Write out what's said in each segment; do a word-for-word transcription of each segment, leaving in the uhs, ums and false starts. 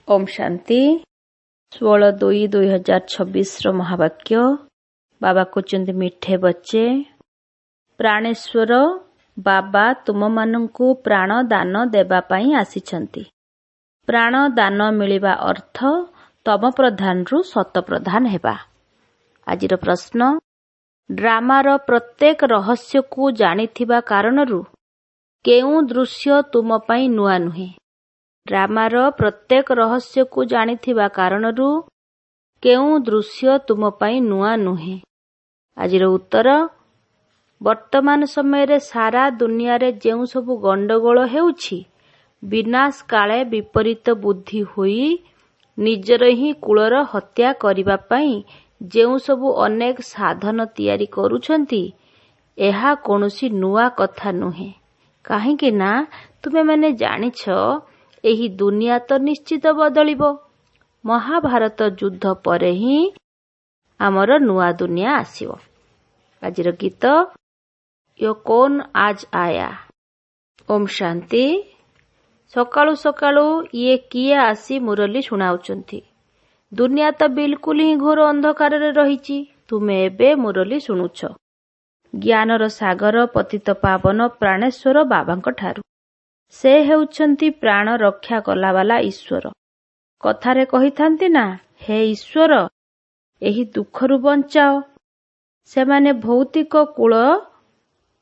ଓମ୍ ଶାନ୍ତି। ଷୋହଳ ଦୁଇ ଦୁଇ ହଜାର ଛବିଶର ମହାବାକ୍ୟ। ବାବା କହୁଛନ୍ତି, ମିଠେ ବଚ୍ଚେ, ପ୍ରାଣେଶ୍ୱର ବାବା ତୁମମାନଙ୍କୁ ପ୍ରାଣ ଦାନ ଦେବା ପାଇଁ ଆସିଛନ୍ତି। ପ୍ରାଣ ଦାନ ମିଳିବା ଅର୍ଥ ତମ ପ୍ରଧାନରୁ ସତ ପ୍ରଧାନ ହେବା। ଆଜିର ପ୍ରଶ୍ନ, ଡ୍ରାମାର ପ୍ରତ୍ୟେକ ରହସ୍ୟକୁ ଜାଣିଥିବା କାରଣରୁ କେଉଁ ଦୃଶ୍ୟ ତୁମ ପାଇଁ ନୂଆ ନୁହେଁ? ଡ୍ରାମାର ପ୍ରତ୍ୟେକ ରହସ୍ୟକୁ ଜାଣିଥିବା କାରଣରୁ କେଉଁ ଦୃଶ୍ୟ ତୁମ ପାଇଁ ନୂଆ ନୁହେଁ? ଆଜିର ଉତ୍ତର, ବର୍ତ୍ତମାନ ସମୟରେ ସାରା ଦୁନିଆରେ ଯେଉଁ ସବୁ ଗଣ୍ଡଗୋଳ ହେଉଛି, ବିନାଶ କାଳେ ବିପରୀତ ବୁଦ୍ଧି ହୋଇ ନିଜର ହିଁ କୁଳର ହତ୍ୟା କରିବା ପାଇଁ ଯେଉଁ ସବୁ ଅନେକ ସାଧନ ତିଆରି କରୁଛନ୍ତି, ଏହା କୌଣସି ନୂଆ କଥା ନୁହେଁ। କାହିଁକି ନା ତୁମେମାନେ ଜାଣିଛ, ଏହି ଦୁନିଆ ତ ନିଶ୍ଚିତ ବଦଳିବ। ମହାଭାରତ ଯୁଦ୍ଧ ପରେ ହିଁ ଆମର ନୂଆ ଦୁନିଆ ଆସିବ। ଆଜିର ଗୀତ, ୟୋ କୌନ ଆଜ ଆୟା। ଓମ୍ ଶାନ୍ତି। ସକାଳୁ ସକାଳୁ ଇଏ କିଏ ଆସି ମୁରଲୀ ଶୁଣାଉଛନ୍ତି? ଦୁନିଆ ତ ବିଲକୁଲ ହିଁ ଘୋର ଅନ୍ଧକାରରେ ରହିଛି, ତୁମେ ଏବେ ମୁରଲୀ ଶୁଣୁଛ ଜ୍ଞାନର ସାଗର ପତିତ ପାବନ ପ୍ରାଣେଶ୍ୱର ବାବାଙ୍କ ଠାରୁ। ସେ ହେଉଛନ୍ତି ପ୍ରାଣ ରକ୍ଷା କଲାବାଲା ଈଶ୍ୱର। କଥାରେ କହିଥାନ୍ତି ନା, ହେ ଈଶ୍ୱର, ଏହି ଦୁଃଖରୁ ବଞ୍ଚାଅ। ସେମାନେ ଭୌତିକ କୁଳ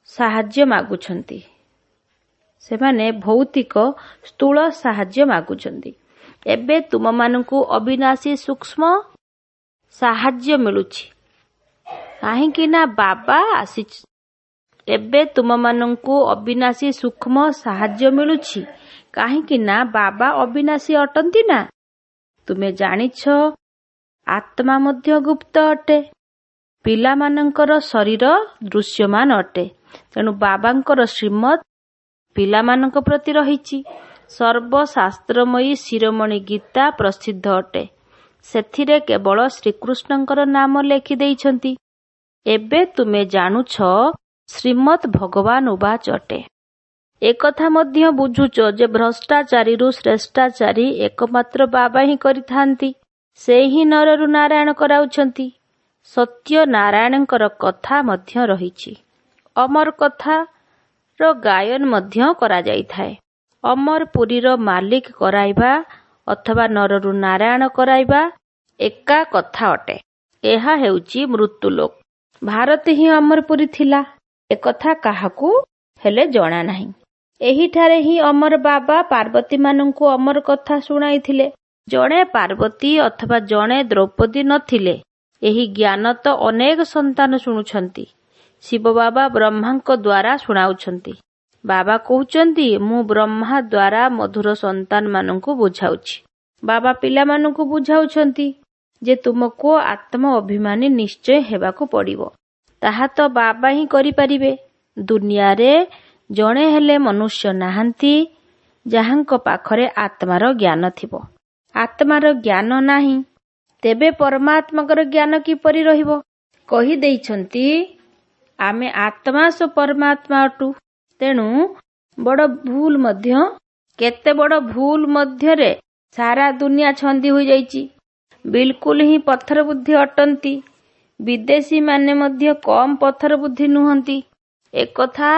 ସାହାଯ୍ୟ ମାଗୁଛନ୍ତି। ସେମାନେ ଭୌତିକ ସ୍ଥୂଳ ସାହାଯ୍ୟ ମାଗୁଛନ୍ତି। ଏବେ ତୁମମାନଙ୍କୁ ଅବିନାଶୀ ସୂକ୍ଷ୍ମ ସାହାଯ୍ୟ ମିଳୁଛି, କାହିଁକି ନା ବାବା ଆସି ଏବେ ତୁମମାନଙ୍କୁ ଅବିନାଶୀ ସୂକ୍ଷ୍ମ ସାହାଯ୍ୟ ମିଳୁଛି, କାହିଁକି ନା ବାବା ଅବିନାଶୀ ଅଟନ୍ତି ନା। ତୁମେ ଜାଣିଛ, ଆତ୍ମା ମଧ୍ୟ ଗୁପ୍ତ ଅଟେ। ପିଲାମାନଙ୍କର ଶରୀର ଦୃଶ୍ୟମାନ ଅଟେ। ତେଣୁ ବାବାଙ୍କର ଶ୍ରୀମତ ପିଲାମାନଙ୍କ ପ୍ରତି ରହିଛି। ସର୍ବଶାସ୍ତ୍ରମୟୀ ଶିରୋମଣି ଗୀତା ପ୍ରସିଦ୍ଧ ଅଟେ। ସେଥିରେ କେବଳ ଶ୍ରୀକୃଷ୍ଣଙ୍କର ନାମ ଲେଖି ଦେଇଛନ୍ତି। ଏବେ ତୁମେ ଜାଣୁଛ, ଶ୍ରୀମଦ୍ ଭଗବାନ ଉବାଚ ଅଟେ। ଏକଥା ମଧ୍ୟ ବୁଝୁଛ ଯେ ଭ୍ରଷ୍ଟାଚାରୀରୁ ଶ୍ରେଷ୍ଠାଚାରୀ ଏକମାତ୍ର ବାବା ହିଁ କରିଥାନ୍ତି। ସେ ହିଁ ନରରୁ ନାରାୟଣ କରାଉଛନ୍ତି। ସତ୍ୟ ନାରାୟଣଙ୍କର କଥା ମଧ୍ୟ ରହିଛି। ଅମର କଥାର ଗାୟନ ମଧ୍ୟ କରାଯାଇଥାଏ। ଅମରପୁରୀର ମାଲିକ କରାଇବା ଅଥବା ନରରୁ ନାରାୟଣ କରାଇବା ଏକା କଥା ଅଟେ। ଏହା ହେଉଛି ମୃତ୍ୟୁଲୋକ। ଭାରତ ହିଁ ଅମରପୁରୀ ଥିଲା, ଏକଥା କାହାକୁ ହେଲେ ଜଣା ନାହିଁ। ଏହିଠାରେ ହିଁ ଅମର ବାବା ପାର୍ବତୀମାନଙ୍କୁ ଅମର କଥା ଶୁଣାଇଥିଲେ। ଜଣେ ପାର୍ବତୀ ଅଥବା ଜଣେ ଦ୍ରୌପଦୀ ନଥିଲେ। ଏହି ଜ୍ଞାନ ତ ଅନେକ ସନ୍ତାନ ଶୁଣୁଛନ୍ତି। ଶିବ ବାବା ବ୍ରହ୍ମାଙ୍କ ଦ୍ୱାରା ଶୁଣାଉଛନ୍ତି। ବାବା କହୁଛନ୍ତି, ମୁଁ ବ୍ରହ୍ମା ଦ୍ୱାରା ମଧୁର ସନ୍ତାନମାନଙ୍କୁ ବୁଝାଉଛି। ବାବା ପିଲାମାନଙ୍କୁ ବୁଝାଉଛନ୍ତି ଯେ ତୁମକୁ ଆତ୍ମ ଅଭିମାନୀ ନିଶ୍ଚୟ ହେବାକୁ ପଡ଼ିବ। ତାହା ତ ବାବା ହିଁ କରିପାରିବେ। ଦୁନିଆରେ ଜଣେ ହେଲେ ମନୁଷ୍ୟ ନାହାନ୍ତି ଯାହାଙ୍କ ପାଖରେ ଆତ୍ମାର ଜ୍ଞାନ ଥିବ। ଆତ୍ମାର ଜ୍ଞାନ ନାହିଁ, ତେବେ ପରମାତ୍ମାଙ୍କର ଜ୍ଞାନ କିପରି ରହିବ? କହିଦେଇଛନ୍ତି, ଆମେ ଆତ୍ମା ସୋ ପରମାତ୍ମା ଅଟୁ। ତେଣୁ ବଡ଼ ଭୁଲ ମଧ୍ୟ କେତେ ବଡ଼ ଭୁଲ ମଧ୍ୟରେ ସାରା ଦୁନିଆ ଛନ୍ଦି ହୋଇଯାଇଛି। ବିଲକୁଲ ହିଁ ପଥର ବୁଦ୍ଧି ଅଟନ୍ତି। ବିଦେଶୀମାନେ ମଧ୍ୟ କମ୍ ପଥର ବୁଦ୍ଧି ନୁହନ୍ତି। ଏକଥା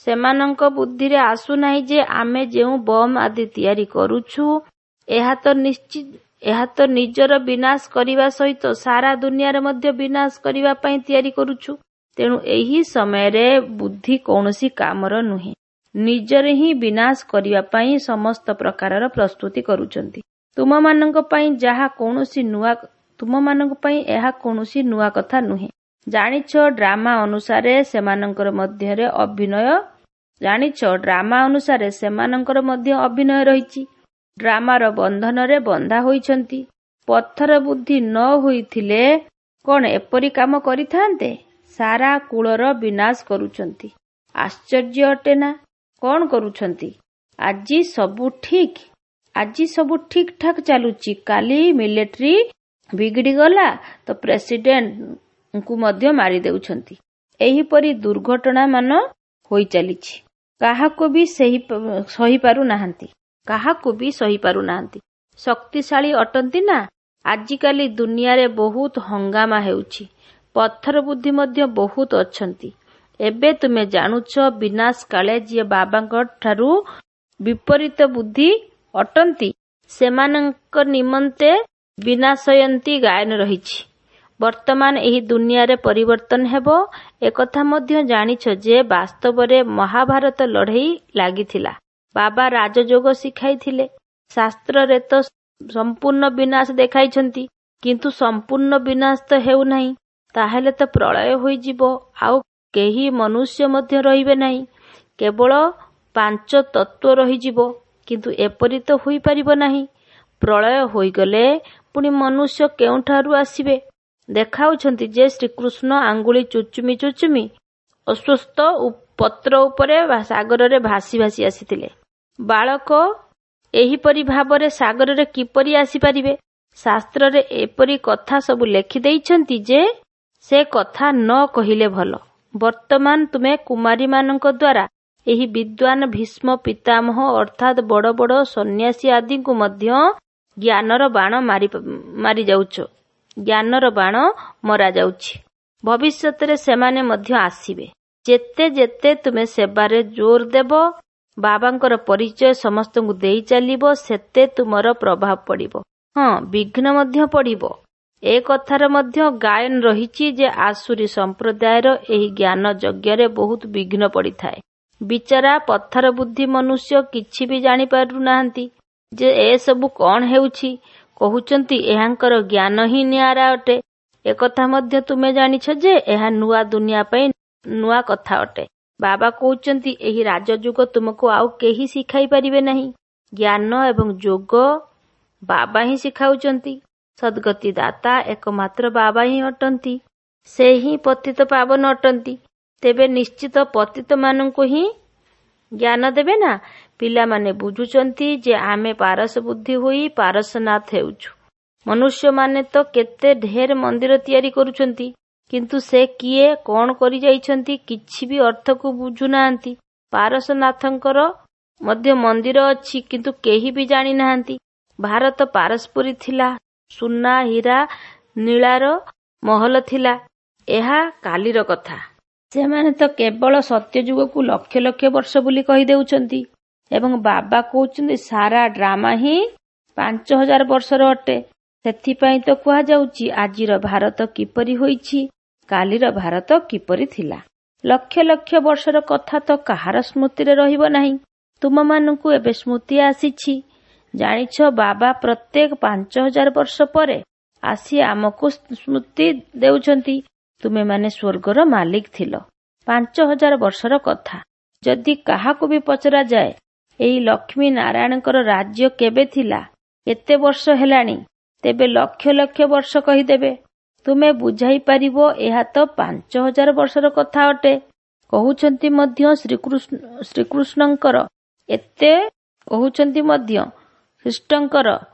ସେମାନଙ୍କ ବୁଦ୍ଧିରେ ଆସୁନାହିଁ ଯେ ଆମେ ଯେଉଁ ବମ୍ ଆଦି ତିଆରି କରୁଛୁ, ଏହା ତ ନିଶ୍ଚିତ ଏହା ତ ନିଜର ବିନାଶ କରିବା ସହିତ ସାରା ଦୁନିଆର ମଧ୍ୟ ବିନାଶ କରିବା ପାଇଁ ତିଆରି କରୁଛୁ। ତେଣୁ ଏହି ସମୟରେ ବୁଦ୍ଧି କୌଣସି କାମର ନୁହେଁ। ନିଜର ହିଁ ବିନାଶ କରିବା ପାଇଁ ସମସ୍ତ ପ୍ରକାରର ପ୍ରସ୍ତୁତି କରୁଛନ୍ତି। ତୁମମାନଙ୍କ ପାଇଁ ଯାହା କୌଣସି ନୂଆ ତୁମମାନଙ୍କ ପାଇଁ ଏହା କୌଣସି ନୂଆ କଥା ନୁହେଁ। ଜାଣିଛ, ଡ୍ରାମା ଅନୁସାରେ ସେମାନଙ୍କର ମଧ୍ୟରେ ଅଭିନୟ ଜାଣିଛ, ଡ୍ରାମା ଅନୁସାରେ ସେମାନଙ୍କର ମଧ୍ୟ ଅଭିନୟ ରହିଛି। ଡ୍ରାମାର ବନ୍ଧନରେ ବନ୍ଧା ହୋଇଛନ୍ତି। ପଥର ବୁଦ୍ଧି ନ ହୋଇଥିଲେ କଣ ଏପରି କାମ କରିଥାନ୍ତେ? ସାରା କୁଳର ବିନାଶ କରୁଛନ୍ତି। ଆଶ୍ଚର୍ଯ୍ୟ ଅଟେ ନା? କଣ କରୁଛନ୍ତି? ଆଜି ସବୁ ଠିକ୍ ଆଜି ସବୁ ଠିକ୍ ଠାକ୍ ଚାଲୁଛି, କାଲି ମିଲିଟାରୀ ବିଗିଡ଼ିଗଲା ତ ପ୍ରେସିଡେଣ୍ଟଙ୍କୁ ମଧ୍ୟ ମାରି ଦେଉଛନ୍ତି। ଏହିପରି ଦୁର୍ଘଟଣାମାନ ହୋଇଚାଲିଛି। କାହାକୁ ବି ସେହି ସହିପାରୁ ନାହାନ୍ତି। କାହାକୁ ବି ସହିପାରୁ ନାହାନ୍ତି। ଶକ୍ତିଶାଳୀ ଅଟନ୍ତି ନା। ଆଜିକାଲି ଦୁନିଆରେ ବହୁତ ହଙ୍ଗାମା ହେଉଛି। ପଥର ବୁଦ୍ଧି ମଧ୍ୟ ବହୁତ ଅଛନ୍ତି। ଏବେ ତୁମେ ଜାଣୁଛ ବିନାଶ କାଳେ ଯିଏ ବାବାଙ୍କ ଠାରୁ ବିପରୀତ ବୁଦ୍ଧି ଅଟନ୍ତି, ସେମାନଙ୍କ ନିମନ୍ତେ ବିନାଶୟନ୍ତି ଗାୟନ ରହିଛି। ବର୍ତ୍ତମାନ ଏହି ଦୁନିଆରେ ପରିବର୍ତ୍ତନ ହେବ। ଏକଥା ମଧ୍ୟ ଜାଣିଛ ଯେ ବାସ୍ତବରେ ମହାଭାରତ ଲଢ଼େଇ ଲାଗିଥିଲା। ବାବା ରାଜଯୋଗ ଶିଖାଇଥିଲେ। ଶାସ୍ତ୍ରରେ ତ ସମ୍ପୂର୍ଣ୍ଣ ବିନାଶ ଦେଖାଇଛନ୍ତି, କିନ୍ତୁ ସମ୍ପୂର୍ଣ୍ଣ ବିନାଶ ତ ହେଉନାହିଁ। ତାହେଲେ ତ ପ୍ରଳୟ ହୋଇଯିବ, ଆଉ କେହି ମନୁଷ୍ୟ ମଧ୍ୟ ରହିବେ ନାହିଁ। କେବଳ ପାଞ୍ଚ ତତ୍ତ୍ୱ ରହିଯିବ। କିନ୍ତୁ ଏପରି ତ ହୋଇପାରିବ ନାହିଁ। ପ୍ରଳୟ ହୋଇଗଲେ ପୁଣି ମନୁଷ୍ୟ କେଉଁଠାରୁ ଆସିବେ? ଦେଖାଉଛନ୍ତି ଯେ ଶ୍ରୀକୃଷ୍ଣ ଆଙ୍ଗୁଳି ଚୁଚୁମି ଚୁଚୁମି ଅଶ୍ୱତ୍ଥ ପତ୍ର ଉପରେ ସାଗରରେ ଭାସି ଭାସି ଆସିଥିଲେ। ବାଳକ ଏହିପରି ଭାବରେ ସାଗରରେ କିପରି ଆସିପାରିବେ? ଶାସ୍ତ୍ରରେ ଏପରି କଥା ସବୁ ଲେଖିଦେଇଛନ୍ତି ଯେ ସେ କଥା ନ କହିଲେ ଭଲ। ବର୍ତ୍ତମାନ ତୁମେ କୁମାରୀମାନଙ୍କ ଦ୍ୱାରା ଏହି ବିଦ୍ୱାନ ଭୀଷ୍ମ ପିତାମହ ଅର୍ଥାତ୍ ବଡ଼ ବଡ଼ ସନ୍ନ୍ୟାସୀ ଆଦିଙ୍କୁ ମଧ୍ୟ ଜ୍ଞାନର ବାଣ ମାରି ମାରିଯାଉଛ। ଜ୍ଞାନର ବାଣ ମରାଯାଉଛି। ଭବିଷ୍ୟତରେ ସେମାନେ ମଧ୍ୟ ଆସିବେ। ଯେତେ ଯେତେ ତୁମେ ସେବାରେ ଜୋର ଦେବ, ବାବାଙ୍କର ପରିଚୟ ସମସ୍ତଙ୍କୁ ଦେଇ ଚାଲିବ, ସେତେ ତୁମର ପ୍ରଭାବ ପଡ଼ିବ। ହଁ, ବିଘ୍ନ ମଧ୍ୟ ପଡ଼ିବ। ଏ କଥାର ମଧ୍ୟ ଗାୟନ ରହିଛି ଯେ ଆସୁରୀ ସମ୍ପ୍ରଦାୟର ଏହି ଜ୍ଞାନ ଯଜ୍ଞରେ ବହୁତ ବିଘ୍ନ ପଡ଼ିଥାଏ। ବିଚାରା ପଥର ବୁଦ୍ଧି ମନୁଷ୍ୟ କିଛି ବି ଜାଣିପାରୁନାହାନ୍ତି ଯେ ଏସବୁ କଣ ହେଉଛି। କହୁଛନ୍ତି ଏହାଙ୍କର ଜ୍ଞାନ ହିଁ ନିଆରା ଅଟେ। ଏକଥା ମଧ୍ୟ ତୁମେ ଜାଣିଛ ଯେ ଏହା ନୂଆ ଦୁନିଆ ପାଇଁ ନୂଆ କଥା ଅଟେ। ବାବା କହୁଛନ୍ତି ଏହି ରାଜଯୁଗ ତୁମକୁ ଆଉ କେହି ଶିଖାଇ ପାରିବେ ନାହିଁ। ଜ୍ଞାନ ଏବଂ ଯୋଗ ବାବା ହିଁ ଶିଖାଉଛନ୍ତି। ସଦ୍ଗତି ଦାତା ଏକମାତ୍ର ବାବା ହିଁ ଅଟନ୍ତି। ସେ ହିଁ ପତିତ ପାବନ ଅଟନ୍ତି। ତେବେ ନିଶ୍ଚିତ ପତିତମାନଙ୍କୁ ହିଁ ଜ୍ଞାନ ଦେବେ ନା। ପିଲାମାନେ ବୁଝୁଛନ୍ତି ଯେ ଆମେ ପାରସ ବୁଦ୍ଧି ହୋଇ ପାରସନାଥ ହେଉଛୁ। ମନୁଷ୍ୟମାନେ ତ କେତେ ଢେର ମନ୍ଦିର ତିଆରି କରୁଛନ୍ତି, କିନ୍ତୁ ସେ କିଏ, କଣ କରିଯାଇଛନ୍ତି କିଛି ବି ଅର୍ଥକୁ ବୁଝୁନାହାନ୍ତି। ପାରସନାଥଙ୍କର ମଧ୍ୟ ମନ୍ଦିର ଅଛି, କିନ୍ତୁ କେହି ବି ଜାଣିନାହାନ୍ତି। ଭାରତ ପାରସପୁରୀ ଥିଲା, ସୁନା ହୀରା ନୀଳାର ମହଲ ଥିଲା। ଏହା କାଲିର କଥା। ସେମାନେ ତ କେବଳ ସତ୍ୟଯୁଗକୁ ଲକ୍ଷ ଲକ୍ଷ ବର୍ଷ ବୋଲି କହିଦେଉଛନ୍ତି ଏବଂ ବାବା କହୁଛନ୍ତି ସାରା ଡ୍ରାମା ହିଁ ପାଞ୍ଚ ହଜାର ବର୍ଷର ଅଟେ। ସେଥିପାଇଁ ତ କୁହାଯାଉଛି ଆଜିର ଭାରତ କିପରି ହୋଇଛି, କାଲିର ଭାରତ କିପରି ଥିଲା। ଲକ୍ଷ ଲକ୍ଷ ବର୍ଷର କଥା ତ କାହାର ସ୍ମୃତିରେ ରହିବ ନାହିଁ। ତୁମମାନଙ୍କୁ ଏବେ ସ୍ମୃତି ଆସିଛି। ଜାଣିଛ ବାବା ପ୍ରତ୍ୟେକ ପାଞ୍ଚ ହଜାର ବର୍ଷ ପରେ ଆସି ଆମକୁ ସ୍ମୃତି ଦେଉଛନ୍ତି। ତୁମେମାନେ ସ୍ୱର୍ଗର ମାଲିକ ଥିଲ। ପାଞ୍ଚ ହଜାର ବର୍ଷର କଥା ଯଦି କାହାକୁ ବି ପଚରାଯାଏ, ଏହି ଲକ୍ଷ୍ମୀ ନାରାୟଣଙ୍କର ରାଜ୍ୟ କେବେ ଥିଲା, କେତେ ବର୍ଷ ହେଲାଣି, ତେବେ ଲକ୍ଷ ଲକ୍ଷ ବର୍ଷ କହିଦେବେ। ତୁମେ ବୁଝାଇ ପାରିବ ଏହା ତ ପାଞ୍ଚ ହଜାର ବର୍ଷର କଥା ଅଟେ। କହୁଛନ୍ତି ମଧ୍ୟ ଶ୍ରୀକୃଷ୍ଣ ଶ୍ରୀକୃଷ୍ଣଙ୍କର ଏତେ କହୁଛନ୍ତି ମଧ୍ୟ ଖ୍ରୀଷ୍ଟଙ୍କର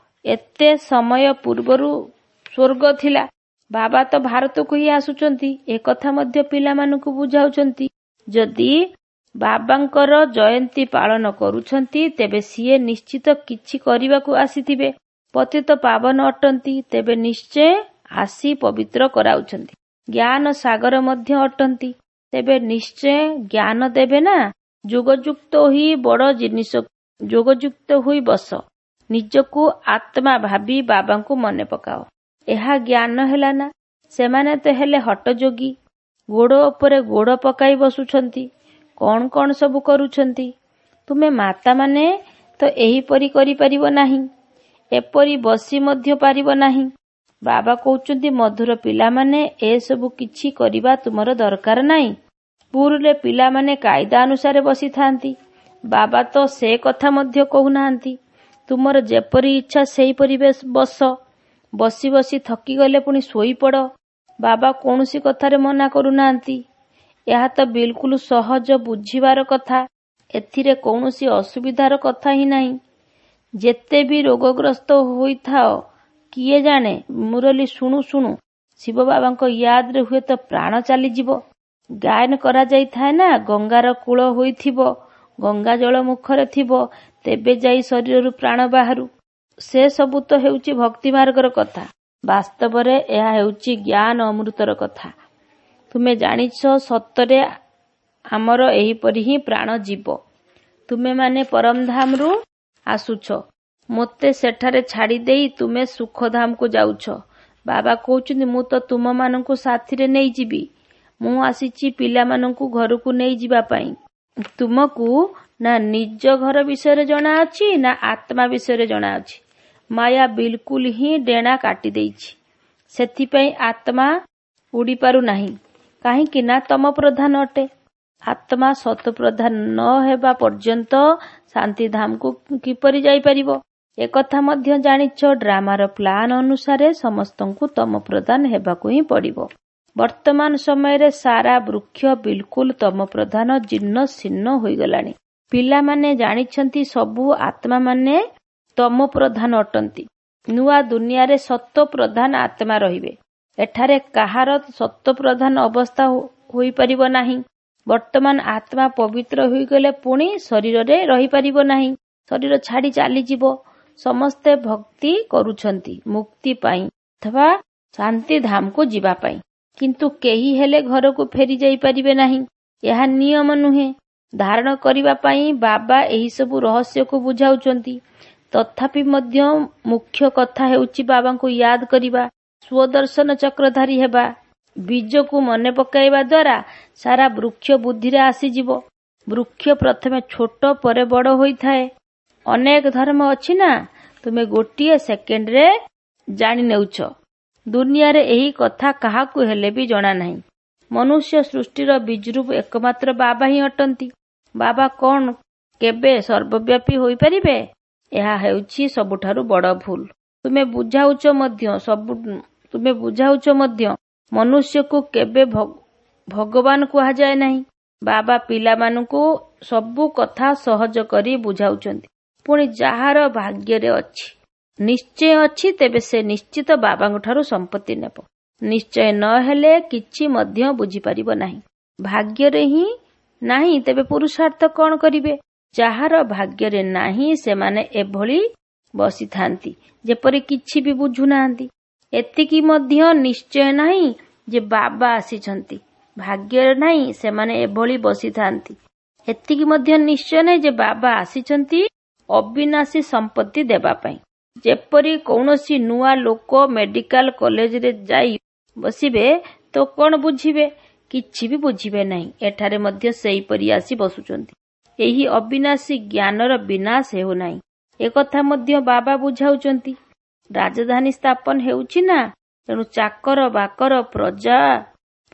ଏତେ ସମୟ ପୂର୍ବରୁ ସ୍ୱର୍ଗ ଥିଲା। ବାବା ତ ଭାରତକୁ ହିଁ ଆସୁଛନ୍ତି, ଏକଥା ମଧ୍ୟ ପିଲାମାନଙ୍କୁ ବୁଝାଉଛନ୍ତି। ଯଦି ବାବାଙ୍କର ଜୟନ୍ତୀ ପାଳନ କରୁଛନ୍ତି, ତେବେ ସିଏ ନିଶ୍ଚିତ କିଛି କରିବାକୁ ଆସିଥିବେ। ପତିତ ପାବନ ଅଟନ୍ତି, ତେବେ ନିଶ୍ଚୟ ଆସି ପବିତ୍ର କରାଉଛନ୍ତି। ଜ୍ଞାନ ସାଗର ମଧ୍ୟ ଅଟନ୍ତି, ତେବେ ନିଶ୍ଚୟ ଜ୍ଞାନ ଦେବେ ନା। ଯୋଗଯୁକ୍ତ ହୋଇ ବଡ଼ ଜିନିଷ ଯୋଗଯୁକ୍ତ ହୋଇ ବସ। ନିଜକୁ ଆତ୍ମା ଭାବି ବାବାଙ୍କୁ ମନେ ପକାଅ। ଏହା ଜ୍ଞାନ ହେଲା ନା। ସେମାନେ ତ ହେଲେ ହଠଯୋଗୀ, ଗୋଡ଼ ଉପରେ ଗୋଡ଼ ପକାଇ ବସୁଛନ୍ତି, କଣ କଣ ସବୁ କରୁଛନ୍ତି। ତୁମେ ମାତାମାନେ ତ ଏହିପରି କରିପାରିବ ନାହିଁ, ଏପରି ବସି ମଧ୍ୟ ପାରିବ ନାହିଁ। ବାବା କହୁଛନ୍ତି ମଧୁର ପିଲାମାନେ, ଏସବୁ କିଛି କରିବା ତୁମର ଦରକାର ନାହିଁ। ସ୍କୁଲରେ ପିଲାମାନେ କାଇଦା ଅନୁସାରେ ବସିଥାନ୍ତି। ବାବା ତ ସେ କଥା ମଧ୍ୟ କହୁନାହାନ୍ତି। ତୁମର ଯେପରି ଇଚ୍ଛା ସେହିପରି ବସ। ବସି ବସି ଥକିଗଲେ ପୁଣି ଶୋଇପଡ଼। ବାବା କୌଣସି କଥାରେ ମନା କରୁନାହାନ୍ତି। ଏହା ତ ବିଲକୁଲ ସହଜ ବୁଝିବାର କଥା। ଏଥିରେ କୌଣସି ଅସୁବିଧାର କଥା ହିଁ ନାହିଁ। ଯେତେ ବି ରୋଗଗ୍ରସ୍ତ ହୋଇଥାଅ, କିଏ ଜାଣେ ମୁରଲୀ ଶୁଣୁ ଶୁଣୁ ଶିବ ବାବାଙ୍କ ୟାଦରେ ହୁଏତ ପ୍ରାଣ ଚାଲିଯିବ। ଗାୟନ କରାଯାଇଥାଏ ନା, ଗଙ୍ଗାର କୂଳ ହୋଇଥିବ, ଗଙ୍ଗା ଜଳ ମୁଖରେ ଥିବ, ତେବେ ଯାଇ ଶରୀରରୁ ପ୍ରାଣ ବାହାରୁ। ସେ ସବୁ ତ ହେଉଛି ଭକ୍ତି ମାର୍ଗର କଥା। ବାସ୍ତବରେ ଏହା ହେଉଛି ଜ୍ଞାନ ଅମୃତର କଥା। ତୁମେ ଜାଣିଛ ସତରେ ଆମର ଏହିପରି ହିଁ ପ୍ରାଣ ଯିବ। ତୁମେମାନେ ପରମଧାମରୁ ଆସୁଛ, ମୋତେ ସେଠାରେ ଛାଡ଼ିଦେଇ ତୁମେ ସୁଖଧାମକୁ ଯାଉଛ। ବାବା କହୁଛନ୍ତି, ମୁଁ ତ ତୁମମାନଙ୍କୁ ସାଥିରେ ନେଇଯିବି। ମୁଁ ଆସିଛି ପିଲାମାନଙ୍କୁ ଘରକୁ ନେଇଯିବା ପାଇଁ। ତୁମକୁ ନା ନିଜ ଘର ବିଷୟରେ ଜଣାଅଛି ନା ଆତ୍ମା ବିଷୟରେ ଜଣାଅଛି। ମାୟା ବିଲକୁଲ ହିଁ ଡେଣା କାଟି ଦେଇଛି, ସେଥିପାଇଁ ଆତ୍ମା ଉଡ଼ିପାରୁ ନାହିଁ। କାହିଁକି ନା ତମ ପ୍ରଧାନ ଅଟେ। ଆତ୍ମା ସତପ୍ରଧାନ ନ ହେବା ପର୍ଯ୍ୟନ୍ତ ଶାନ୍ତିଧାମକୁ କିପରି ଯାଇପାରିବ? ଏକଥା ମଧ୍ୟ ଜାଣିଛ, ଡ୍ରାମାର ପ୍ଲାନ୍ ଅନୁସାରେ ସମସ୍ତଙ୍କୁ ତମ ପ୍ରଧାନ ହେବାକୁ ହିଁ ପଡ଼ିବ। ବର୍ତ୍ତମାନ ସମୟରେ ସାରା ବୃକ୍ଷ ବିଲକୁଲ ତମ ପ୍ରଧାନ ଜୀର୍ଣ୍ଣ ଶୀର୍ଣ୍ଣ ହୋଇଗଲାଣି। ପିଲାମାନେ ଜାଣିଛନ୍ତି ସବୁ ଆତ୍ମାମାନେ ତମ ପ୍ରଧାନ ଅଟନ୍ତି। ନୂଆ ଦୁନିଆରେ ସତ୍ୱ ପ୍ରଧାନ ଆତ୍ମା ରହିବେ। ଏଠାରେ କାହାର ସତ୍ୱ ପ୍ରଧାନ ଅବସ୍ଥା ହୋଇପାରିବ ନାହିଁ। ବର୍ତ୍ତମାନ ଆତ୍ମା ପବିତ୍ର ହୋଇଗଲେ ପୁଣି ଶରୀରରେ ରହିପାରିବ ନାହିଁ, ଶରୀର ଛାଡ଼ି ଚାଲିଯିବ। ସମସ୍ତେ ଭକ୍ତି କରୁଛନ୍ତି ମୁକ୍ତି ପାଇଁ ଅଥବା ଶାନ୍ତିଧାମକୁ ଯିବା ପାଇଁ, କିନ୍ତୁ କେହି ହେଲେ ଘରକୁ ଫେରି ଯାଇପାରିବେ ନାହିଁ। ଏହା ନିୟମ ନୁହେଁ। ଧାରଣ କରିବା ପାଇଁ ବାବା ଏହିସବୁ ରହସ୍ୟକୁ ବୁଝାଉଛନ୍ତି। ତଥାପି ମଧ୍ୟ ମୁଖ୍ୟ କଥା ହେଉଛି ବାବାଙ୍କୁ ୟାଦ କରିବା, ସ୍ୱଦର୍ଶନ ଚକ୍ରଧାରୀ ହେବା। ବୀଜକୁ ମନେ ପକାଇବା ଦ୍ୱାରା ସାରା ବୃକ୍ଷ ବୁଦ୍ଧିରେ ଆସିଯିବ। ବୃକ୍ଷ ପ୍ରଥମେ ଛୋଟ ପରେ ବଡ଼ ହୋଇଥାଏ। ଅନେକ ଧର୍ମ ଅଛି ନା, ତୁମେ ଗୋଟିଏ ସେକେଣ୍ଡରେ ଜାଣି ନେଉଛ। ଦୁନିଆରେ ଏହି କଥା କାହାକୁ ହେଲେ ବି ଜଣା ନାହିଁ। ମନୁଷ୍ୟ ସୃଷ୍ଟିର ବୀଜରୂପ ଏକମାତ୍ର ବାବା ହିଁ ଅଟନ୍ତି। ବାବା କଣ କେବେ ସର୍ବବ୍ୟାପୀ ହୋଇପାରିବେ? ଏହା ହେଉଛି ସବୁଠାରୁ ବଡ଼ ଭୁଲ। ତୁମେ ବୁଝାଉଛ ମଧ୍ୟ ସବୁ ତୁମେ ବୁଝାଉଛ ମଧ୍ୟ ମନୁଷ୍ୟକୁ କେବେ ଭଗବାନ କୁହାଯାଏ ନାହିଁ। ବାବା ପିଲାମାନଙ୍କୁ ସବୁ କଥା ସହଜ କରି ବୁଝାଉଛନ୍ତି। ପୁଣି ଯାହାର ଭାଗ୍ୟରେ ଅଛି, ନିଶ୍ଚୟ ଅଛି, ତେବେ ସେ ନିଶ୍ଚିତ ବାବାଙ୍କଠାରୁ ସମ୍ପତ୍ତି ନେବ। ନିଶ୍ଚୟ ନ ହେଲେ କିଛି ମଧ୍ୟ ବୁଝିପାରିବ ନାହିଁ। ଭାଗ୍ୟରେ ହିଁ ନାହିଁ ତେବେ ପୁରୁଷାର୍ଥ କଣ କରିବେ? ଯାହାର ଭାଗ୍ୟରେ ନାହିଁ ସେମାନେ ଏଭଳି ବସିଥାନ୍ତି ଯେପରି କିଛି ବି ବୁଝୁନାହାନ୍ତି। ଏତିକି ମଧ୍ୟ ନିଶ୍ଚୟ ନାହିଁ ଯେ ବାବା ଆସିଛନ୍ତି। ଭାଗ୍ୟରେ ନାହିଁ ସେମାନେ ଏଭଳି ବସିଥାନ୍ତି। ଏତିକି ମଧ୍ୟ ନିଶ୍ଚୟ ନାହିଁ ଯେ ବାବା ଆସିଛନ୍ତି ଅବିନାଶୀ ସମ୍ପତ୍ତି ଦେବା ପାଇଁ। ଯେପରି କୌଣସି ନୂଆ ଲୋକ ମେଡିକାଲ କଲେଜରେ ଯାଇ ବସିବେ ତ କଣ ବୁଝିବେ? କିଛି ବି ବୁଝିବେ ନାହିଁ। ଏଠାରେ ମଧ୍ୟ ସେହିପରି ଆସି ବସୁଛନ୍ତି। ଏହି ଅବିନାଶୀ ଜ୍ଞାନର ବିନାଶ ହେଉନାହିଁ, ଏକଥା ମଧ୍ୟ ବାବା ବୁଝାଉଛନ୍ତି। ରାଜଧାନୀ ସ୍ଥାପନ ହେଉଛି ନା, ତେଣୁ ଚାକର ବାକର ପ୍ରଜା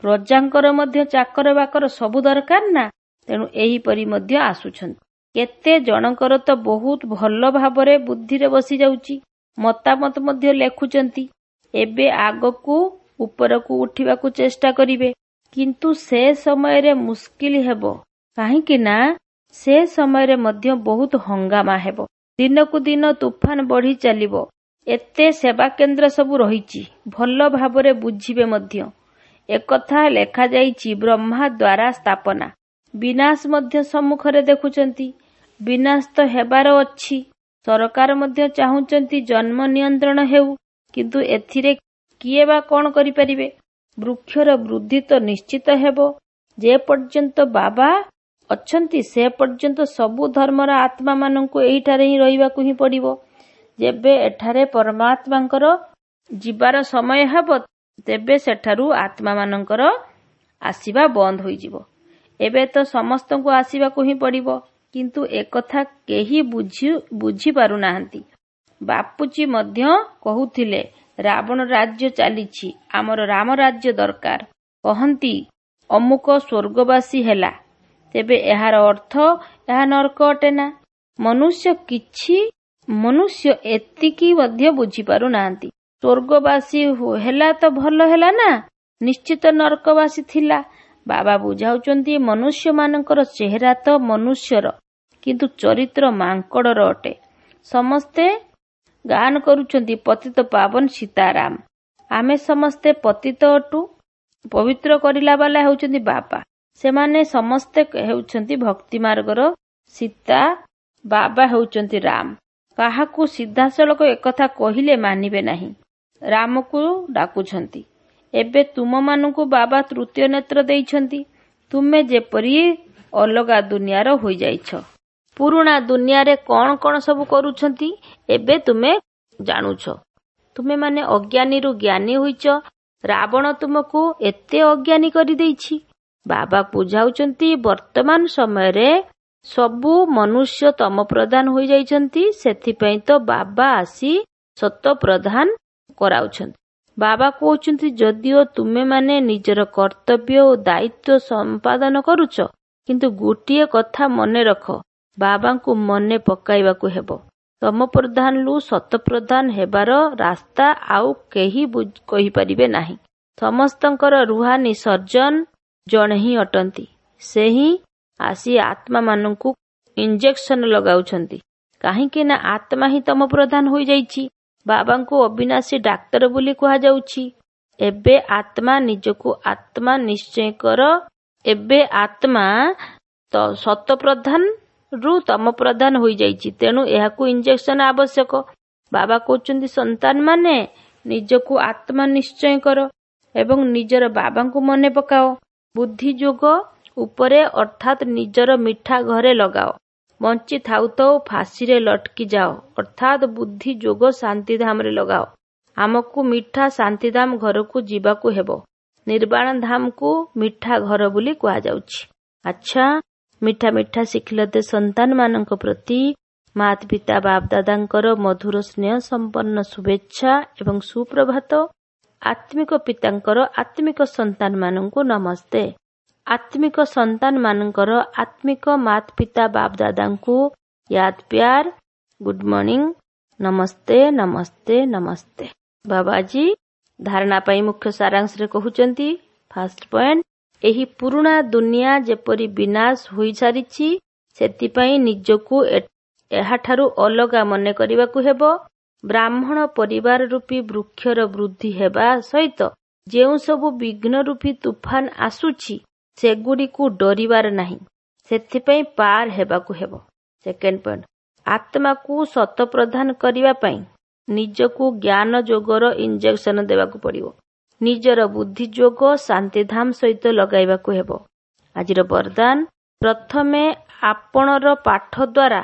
ପ୍ରଜାଙ୍କର ମଧ୍ୟ ଚାକର ବାକର ସବୁ ଦରକାର ନା, ତେଣୁ ଏହିପରି ମଧ୍ୟ ଆସୁଛନ୍ତି। କେତେ ଜଣଙ୍କର ତ ବହୁତ ଭଲ ଭାବରେ ବୁଦ୍ଧିରେ ବସିଯାଉଛି, ମତାମତ ମଧ୍ୟ ଲେଖୁଛନ୍ତି। ଏବେ ଆଗକୁ ଉପରକୁ ଉଠିବାକୁ ଚେଷ୍ଟା କରିବେ, କିନ୍ତୁ ସେ ସମୟରେ ମୁସ୍କିଲ ହେବ। କାହିଁକି ନା ସେ ସମୟରେ ମଧ୍ୟ ବହୁତ ହଙ୍ଗାମା ହେବ। ଦିନକୁ ଦିନ ତୁଫାନ ବଢି ଚାଲିବ। ଏତେ ସେବା କେନ୍ଦ୍ର ସବୁ ରହିଛି, ଭଲ ଭାବରେ ବୁଝିବେ ମଧ୍ୟ। ଏକଥା ଲେଖାଯାଇଛି ବ୍ରହ୍ମା ଦ୍ୱାରା ସ୍ଥାପନା। ବିନାଶ ମଧ୍ୟ ସମ୍ମୁଖରେ ଦେଖୁଛନ୍ତି। ବିନାଶ ତ ହେବାର ଅଛି। ସରକାର ମଧ୍ୟ ଚାହୁଁଛନ୍ତି ଜନ୍ମ ନିୟନ୍ତ୍ରଣ ହେଉ, କିନ୍ତୁ ଏଥିରେ କିଏ ବା କଣ କରିପାରିବେ? ବୃକ୍ଷର ବୃଦ୍ଧି ତ ନିଶ୍ଚିତ ହେବ। ଯେ ପର୍ଯ୍ୟନ୍ତ ବାବା ଅଛନ୍ତି ସେ ପର୍ଯ୍ୟନ୍ତ ସବୁ ଧର୍ମର ଆତ୍ମାମାନଙ୍କୁ ଏହିଠାରେ ହିଁ ରହିବାକୁ ହିଁ ପଡ଼ିବ। ଯେବେ ଏଠାରେ ପରମାତ୍ମାଙ୍କର ଯିବାର ସମୟ ହେବ, ତେବେ ସେଠାରୁ ଆତ୍ମାମାନଙ୍କର ଆସିବା ବନ୍ଦ ହୋଇଯିବ। ଏବେ ତ ସମସ୍ତଙ୍କୁ ଆସିବାକୁ ହିଁ ପଡ଼ିବ, କିନ୍ତୁ ଏକଥା କେହି ବୁଝି ବୁଝିପାରୁନାହାନ୍ତି। ବାପୁଜୀ ମଧ୍ୟ କହୁଥିଲେ, ରାବଣ ରାଜ୍ୟ ଚାଲିଛି, ଆମର ରାମ ରାଜ୍ୟ ଦରକାର। କହନ୍ତି ଅମୁକ ସ୍ୱର୍ଗବାସୀ ହେଲା, ତେବେ ଏହାର ଅର୍ଥ ଏହା ନର୍କ ଅଟେ ନା? ମନୁଷ୍ୟ କିଛି ମନୁଷ୍ୟ ଏତିକି ମଧ୍ୟ ବୁଝିପାରୁନାହାନ୍ତି। ସ୍ୱର୍ଗବାସୀ ହେଲା ତ ଭଲ ହେଲା ନା, ନିଶ୍ଚିତ ନର୍କବାସୀ ଥିଲା। ବାବା ବୁଝାଉଛନ୍ତି ମନୁଷ୍ୟମାନଙ୍କର ଚେହେରା ତ ମନୁଷ୍ୟର, କିନ୍ତୁ ଚରିତ୍ର ମାଙ୍କଡର ଅଟେ। ସମସ୍ତେ ଗାନ କରୁଛନ୍ତି ପତିତ ପାବନ ସୀତାରାମ। ଆମେ ସମସ୍ତେ ପତିତ ଅଟୁ। ପବିତ୍ର କରିଲା ବାଲା ହେଉଛନ୍ତି ବାବା। ସେମାନେ ସମସ୍ତେ ହେଉଛନ୍ତି ଭକ୍ତି ମାର୍ଗର ସୀତା, ବାବା ହେଉଛନ୍ତି ରାମ। କାହାକୁ ସିଧାସଳଖ ଏକଥା କହିଲେ ମାନିବେ ନାହିଁ। ରାମକୁ ଡାକୁଛନ୍ତି। ଏବେ ତୁମମାନଙ୍କୁ ବାବା ତୃତୀୟ ନେତ୍ର ଦେଇଛନ୍ତି। ତୁମେ ଯେପରି ଅଲଗା ଦୁନିଆର ହୋଇଯାଇଛ। ପୁରୁଣା ଦୁନିଆରେ କ'ଣ କ'ଣ ସବୁ କରୁଛନ୍ତି ଏବେ ତୁମେ ଜାଣୁଛ। ତୁମେମାନେ ଅଜ୍ଞାନୀରୁ ଜ୍ଞାନୀ ହୋଇଛ। ରାବଣ ତୁମକୁ ଏତେ ଅଜ୍ଞାନୀ କରିଦେଇଛି। ବାବା ବୁଝାଉଛନ୍ତି ବର୍ତ୍ତମାନ ସମୟରେ ସବୁ ମନୁଷ୍ୟ ତମ ପ୍ରଧାନ ହୋଇଯାଇଛନ୍ତି। ସେଥିପାଇଁ ତ ବାବା ଆସି ସତ ପ୍ରଧାନ କରାଉଛନ୍ତି। ବାବା କହୁଛନ୍ତି ଯଦିଓ ତୁମେମାନେ ନିଜର କର୍ତ୍ତବ୍ୟ ଓ ଦାୟିତ୍ୱ ସମ୍ପାଦନ କରୁଛ, କିନ୍ତୁ ଗୋଟିଏ କଥା ମନେ ରଖ, ବାବାଙ୍କୁ ମନେ ପକାଇବାକୁ ହେବ। ତମ ପ୍ରଧାନରୁ ସତପ୍ରଧାନ ହେବାର ରାସ୍ତା ଆଉ କେହି କହିପାରିବେ ନାହିଁ। ସମସ୍ତଙ୍କର ରୁହାନି ସର୍ଜନ ଜଣେ ହିଁ ଅଟନ୍ତି। ସେ ହିଁ ଆସି ଆତ୍ମାମାନଙ୍କୁ ଇଞ୍ଜେକ୍ସନ ଲଗାଉଛନ୍ତି। କାହିଁକି ନା ଆତ୍ମା ହିଁ ତମ ପ୍ରଧାନ ହୋଇଯାଇଛି। ବାବାଙ୍କୁ ଅବିନାଶୀ ଡାକ୍ତର ବୋଲି କୁହାଯାଉଛି। ଏବେ ଆତ୍ମା ନିଜକୁ ଆତ୍ମା ନିଶ୍ଚୟ କର। ଏବେ ଆତ୍ମା ସତପ୍ରଧାନ ରୁ ତମ ପ୍ରଧାନ ହୋଇଯାଇଛି, ତେଣୁ ଏହାକୁ ଇଞ୍ଜେକ୍ସନ ଆବଶ୍ୟକ। ବାବା କହୁଛନ୍ତି ସନ୍ତାନମାନେ ନିଜକୁ ଆତ୍ମା ନିଶ୍ଚୟ କର ଏବଂ ନିଜର ବାବାଙ୍କୁ ମନେ ପକାଅ। ବୁଦ୍ଧି ଯୋଗ ଉପରେ ଅର୍ଥାତ୍ ନିଜର ମିଠା ଘରେ ଲଗାଅ। ବଞ୍ଚି ଥାଉ ଥାଉ ଫାଶୀରେ ଲଟକି ଯାଅ, ଅର୍ଥାତ୍ ବୁଦ୍ଧି ଯୋଗ ଶାନ୍ତିଧାମରେ ଲଗାଅ। ଆମକୁ ମିଠା ଶାନ୍ତିଧାମ ଘରକୁ ଯିବାକୁ ହେବ। ନିର୍ବାଣ ଧାମକୁ ମିଠା ଘର ବୋଲି କୁହାଯାଉଛି। ଆଚ୍ଛା, ମିଠା ମିଠା ଶିଖିଲତେ ସନ୍ତାନମାନଙ୍କ ପ୍ରତି ମାତା ପିତା ବାପଦାଦାଙ୍କର ମଧୁର ସ୍ନେହ ସମ୍ପନ୍ନ ଶୁଭେଚ୍ଛା ଏବଂ ସୁପ୍ରଭାତ। ଆତ୍ମିକ ପିତାଙ୍କର ଆତ୍ମିକ ସନ୍ତାନମାନଙ୍କୁ ନମସ୍ତେ। ଆତ୍ମିକ ସନ୍ତାନମାନଙ୍କର ଆତ୍ମିକ ମାତା ପିତା ବାପଦାଦାଙ୍କୁ ୟାଦ ପ୍ୟାର, ଗୁଡ୍ ମର୍ଣ୍ଣିଂ, ନମସ୍ତେ, ନମସ୍ତେ, ନମସ୍ତେ। ବାବାଜୀ ଧାରଣା ପାଇଁ ମୁଖ୍ୟ ସାରାଂଶରେ କହୁଛନ୍ତି, ଫାଷ୍ଟ ପଏଣ୍ଟ, ଏହି ପୁରୁଣା ଦୁନିଆ ଯେପରି ବିନାଶ ହୋଇସାରିଛି, ସେଥିପାଇଁ ନିଜକୁ ଏହାଠାରୁ ଅଲଗା ମନେ କରିବାକୁ ହେବ। ବ୍ରାହ୍ମଣ ପରିବାର ରୂପୀ ବୃକ୍ଷର ବୃଦ୍ଧି ହେବା ସହିତ ଯେଉଁ ସବୁ ବିଘ୍ନ ରୂପୀ ତୁଫାନ ଆସୁଛି, ସେଗୁଡ଼ିକୁ ଡରିବାର ନାହିଁ, ସେଥିପାଇଁ ପାର ହେବାକୁ ହେବ। ସେକେଣ୍ଡ ପଏଣ୍ଟ, ଆତ୍ମାକୁ ସତ ପ୍ରଧାନ କରିବା ପାଇଁ ନିଜକୁ ଜ୍ଞାନ ଯୋଗର ଇଞ୍ଜେକ୍ସନ ଦେବାକୁ ପଡ଼ିବ। ନିଜର ବୁଦ୍ଧି ଯୋଗ ଶାନ୍ତିଧାମ ସହିତ ଲଗାଇବାକୁ ହେବ। ଆଜିର ବରଦାନ, ପ୍ରଥମେ ଆପଣର ପାଠ ଦ୍ୱାରା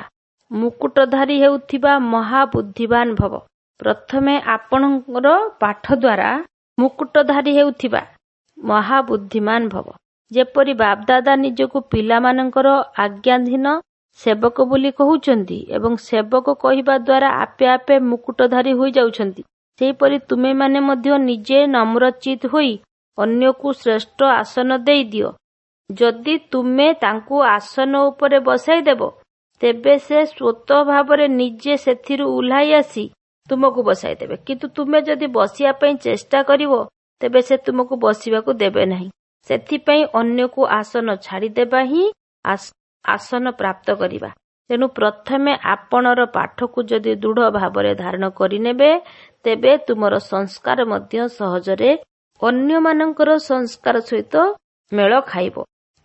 ମୁକୁଟଧାରୀ ହେଉଥିବା ମହାବୁଦ୍ଧିବାନ ଭବ। ପ୍ରଥମେ ଆପଣଙ୍କର ପାଠ ଦ୍ୱାରା ମୁକୁଟଧାରୀ ହେଉଥିବା ମହାବୁଦ୍ଧିମାନ ଭବ। ଯେପରି ବାପଦାଦା ନିଜକୁ ପିଲାମାନଙ୍କର ଆଜ୍ଞାଧୀନ ସେବକ ବୋଲି କହୁଛନ୍ତି ଏବଂ ସେବକ କହିବା ଦ୍ୱାରା ଆପେ ଆପେ ମୁକୁଟଧାରୀ ହୋଇଯାଉଛନ୍ତି, ସେହିପରି ତୁମେମାନେ ମଧ୍ୟ ନିଜେ ନମ୍ରଚିତ ହୋଇ ଅନ୍ୟକୁ ଶ୍ରେଷ୍ଠ ଆସନ ଦେଇଦିଅ। ଯଦି ତୁମେ ତାଙ୍କୁ ଆସନ ଉପରେ ବସାଇଦେବ, ତେବେ ସେ ସ୍ୱତଃ ଭାବରେ ନିଜେ ସେଥିରୁ ଓହ୍ଲାଇ ଆସି ତୁମକୁ ବସାଇଦେବେ। କିନ୍ତୁ ତୁମେ ଯଦି ବସିବା ପାଇଁ ଚେଷ୍ଟା କରିବ, ତେବେ ସେ ତୁମକୁ ବସିବାକୁ ଦେବେ ନାହିଁ। ସେଥିପାଇଁ ଅନ୍ୟକୁ ଆସନ ଛାଡ଼ିଦେବା ହିଁ ଆସନ ପ୍ରାପ୍ତ କରିବା। ତେଣୁ ପ୍ରଥମେ ଆପଣର ପାଠକୁ ଯଦି ଦୃଢ଼ ଭାବରେ ଧାରଣ କରିନେବେ, ତେବେ ତୁମର ସଂସ୍କାର ମଧ୍ୟ ସହଜରେ ଅନ୍ୟମାନଙ୍କର ସଂସ୍କାର ସହିତ ମେଳ ଖାଇବ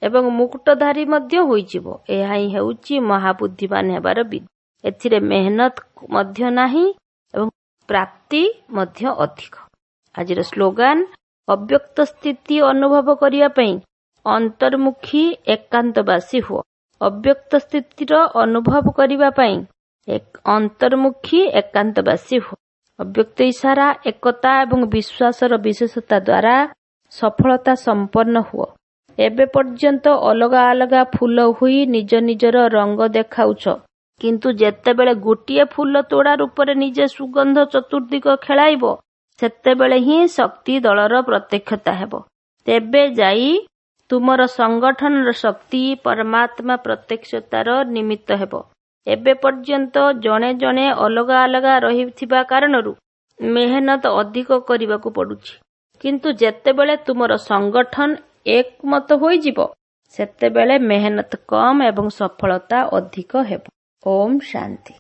ଏବଂ ମୁକୁଟଧାରୀ ମଧ୍ୟ ହୋଇଯିବ। ଏହା ହିଁ ହେଉଛି ମହାବୁଦ୍ଧିମାନ ହେବାର ବିଧି। ଏଥିରେ ମେହନତ ମଧ୍ୟ ନାହିଁ ଏବଂ ପ୍ରାପ୍ତି ମଧ୍ୟ ଅଧିକ। ଆଜିର ସ୍ଲୋଗାନ, ଅବ୍ୟକ୍ତ ସ୍ଥିତି ଅନୁଭବ କରିବା ପାଇଁ ଅନ୍ତର୍ମୁଖୀ ଏକାନ୍ତବାସୀ ହୁଅ। ଅବ୍ୟକ୍ତ ସ୍ଥିତିର ଅନୁଭବ କରିବା ପାଇଁ ଅନ୍ତର୍ମୁଖୀ ଏକାନ୍ତବାସୀ ହୁଅ। ଅବ୍ୟକ୍ତ ଇଶାରା, ଏକତା ଏବଂ ବିଶ୍ୱାସର ବିଶେଷତା ଦ୍ୱାରା ସଫଳତା ସମ୍ପନ୍ନ ହୁଅ। ଏବେ ପର୍ଯ୍ୟନ୍ତ ଅଲଗା ଅଲଗା ଫୁଲ ହୋଇ ନିଜ ନିଜର ରଙ୍ଗ ଦେଖାଉଛ, କିନ୍ତୁ ଯେତେବେଳେ ଗୋଟିଏ ଫୁଲ ତୋଡ଼ା ରୂପରେ ନିଜେ ସୁଗନ୍ଧ ଚତୁର୍ଦିଗ ଖେଳାଇବ, ସେତେବେଳେ ହିଁ ଶକ୍ତି ଦଳର ପ୍ରତ୍ୟକ୍ଷତା ହେବ। ତେବେ ଯାଇ ତୁମର ସଂଗଠନର ଶକ୍ତି ପରମାତ୍ମା ପ୍ରତ୍ୟକ୍ଷତାର ନିମିତ୍ତ ହେବ। ଏବେ ପର୍ଯ୍ୟନ୍ତ ଜଣେ ଜଣେ ଅଲଗା ଅଲଗା ରହିଥିବା କାରଣରୁ ମେହନତ ଅଧିକ କରିବାକୁ ପଡୁଛି, କିନ୍ତୁ ଯେତେବେଳେ ତୁମର ସଂଗଠନ ଏକମତ ହୋଇଯିବ, ସେତେବେଳେ ମେହନତ କମ୍ ଏବଂ ସଫଳତା ଅଧିକ ହେବ। ଓମ୍ ଶାନ୍ତି।